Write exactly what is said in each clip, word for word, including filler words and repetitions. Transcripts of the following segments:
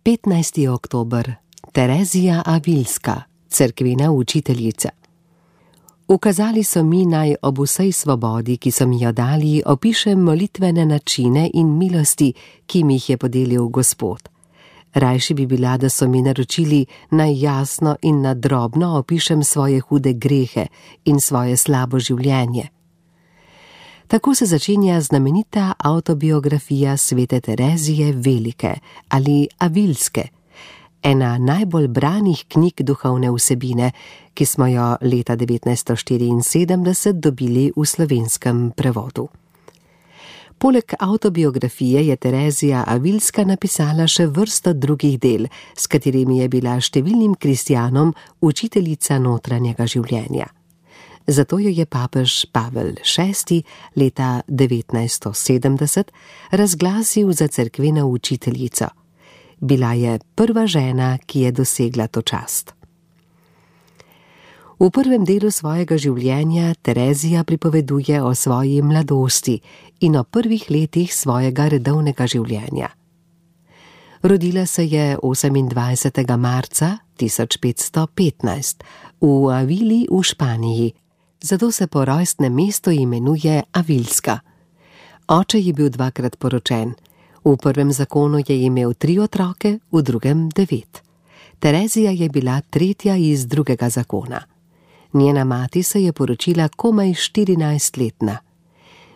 petnajsti oktober. Terezija Avilska, cerkvena učiteljica. Ukazali so mi, naj ob vsej svobodi, ki so mi jo dali, opišem molitvene načine in milosti, ki mi jih je podelil Gospod. Rajši bi bila, da so mi naročili, naj jasno in nadrobno opišem svoje hude grehe in svoje slabo življenje. Tako se začenja znamenita avtobiografija svete Terezije Velike ali Avilske, ena najbolj branih knjig duhovne vsebine, ki smo jo leta devetnajststo štiriinsedemdeset dobili v slovenskem prevodu. Poleg avtobiografije je Terezija Avilska napisala še vrsto drugih del, s katerimi je bila številnim kristjanom učiteljica notranjega življenja. Zato jo je papež Pavel šesti leta devetnajststo sedemdeset razglasil za cerkveno učiteljico. Bila je prva žena, ki je dosegla to čast. V prvem delu svojega življenja Terezija pripoveduje o svoji mladosti in o prvih letih svojega redovnega življenja. Rodila se je osemindvajsetega marca tisoč petsto petnajst v Avili v Španiji, zato se po rojstnem mestu imenuje Avilska. Oče je bil dvakrat poročen. V prvem zakonu je imel tri otroke, v drugem devet. Terezija je bila tretja iz drugega zakona. Njena mati se je poročila komaj štirinajstletna.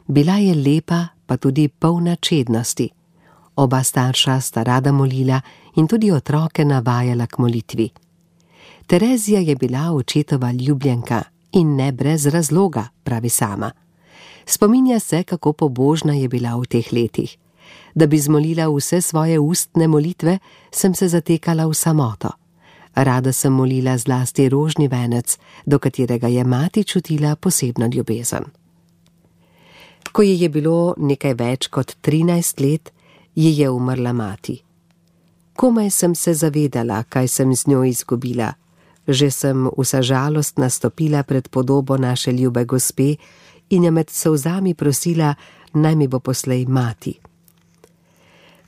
Bila je lepa, pa tudi polna čednosti. Oba starša sta rada molila in tudi otroke navajala k molitvi. Terezija je bila očetova ljubljenka in ne brez razloga, pravi sama. Spominja se, kako pobožna je bila v teh letih. Da bi zmolila vse svoje ustne molitve, sem se zatekala v samoto. Rada sem molila zlasti rožni venec, do katerega je mati čutila posebno ljubezen. Ko ji je bilo nekaj več kot trinajst let, ji je umrla mati. Komaj sem se zavedala, kaj sem z njo izgubila. Že sem vsa žalost nastopila pred podobo naše ljube gospe in je med solzami prosila, naj mi bo poslej mati.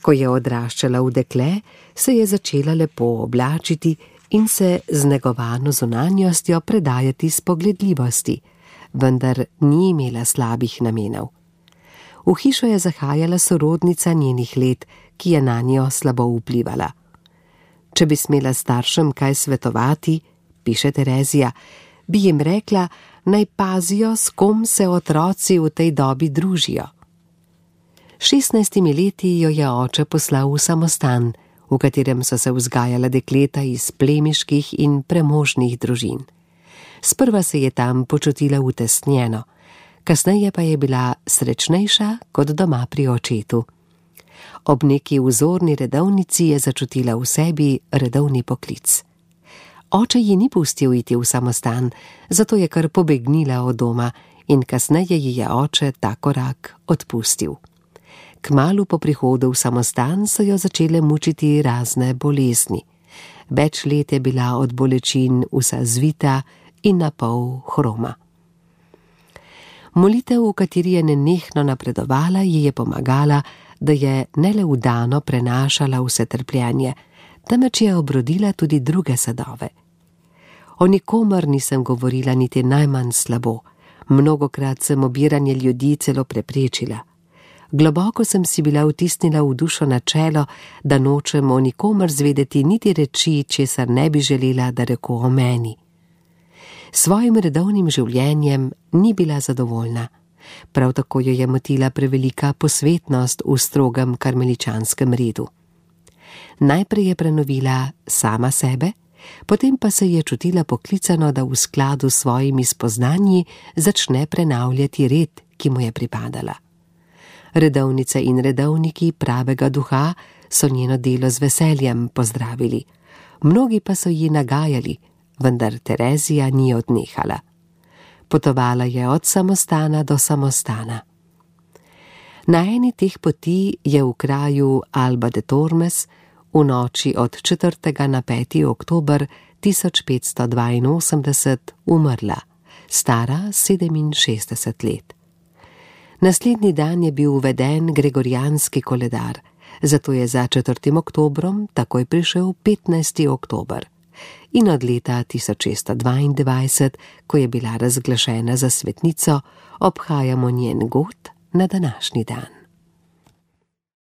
Ko je odraščala v dekle, se je začela lepo oblačiti in se z negovano zunanjostjo predajati spogledljivosti, vendar ni imela slabih namenov. V hišo je zahajala sorodnica njenih let, ki je na njo slabo vplivala. Če bi smela staršem kaj svetovati, piše Terezija, bi jim rekla, naj pazijo, s kom se otroci v tej dobi družijo. Šestnajstimi leti jo je oče poslal v samostan, v katerem so se vzgajala dekleta iz plemiških in premožnih družin. Sprva se je tam počutila utesnjeno, kasneje pa je bila srečnejša kot doma pri očetu. Ob neki vzorni redovnici je začutila v sebi redovni poklic. Oče ji ni pustil iti v samostan, zato je kar pobegnila od doma in kasneje ji je oče ta korak odpustil. Kmalu po prihodu v samostan so jo začele mučiti razne bolezni. Več let je bila od bolečin vsa zvita in na pol hroma. Molitev, v kateri je nenehno napredovala, ji je pomagala, da je ne le vdano prenašala vse trpljenje, temveč je obrodila tudi druge sadove. O nikomer nisem govorila niti najmanj slabo, mnogokrat sem obiranje ljudi celo preprečila. Globoko sem si bila vtisnila v dušo načelo, da nočem o nikomer zvedeti niti reči, česar ne bi želela, da reko o meni. Svojim redovnim življenjem ni bila zadovoljna. Prav tako jo je motila prevelika posvetnost v strogem karmeličanskem redu. Najprej je prenovila sama sebe, potem pa se je čutila poklicano, da v skladu s svojimi spoznanji začne prenavljati red, ki mu je pripadala. Redovnice in redovniki pravega duha so njeno delo z veseljem pozdravili. Mnogi pa so ji nagajali, vendar Terezija ni odnehala. Potovala je od samostana do samostana. Na eni teh poti je v kraju Alba de Tormes v noči od četrtega na peti oktober tisoč petsto dvainosemdeset umrla, stara sedeminšestdeset let. Naslednji dan je bil uveden gregorijanski koledar, zato je za četrtim oktobrom takoj prišel petnajsti oktober. In od leta tisoč šeststo dvaindvajset, ko je bila razglašena za svetnico, obhajamo njen god na današnji dan.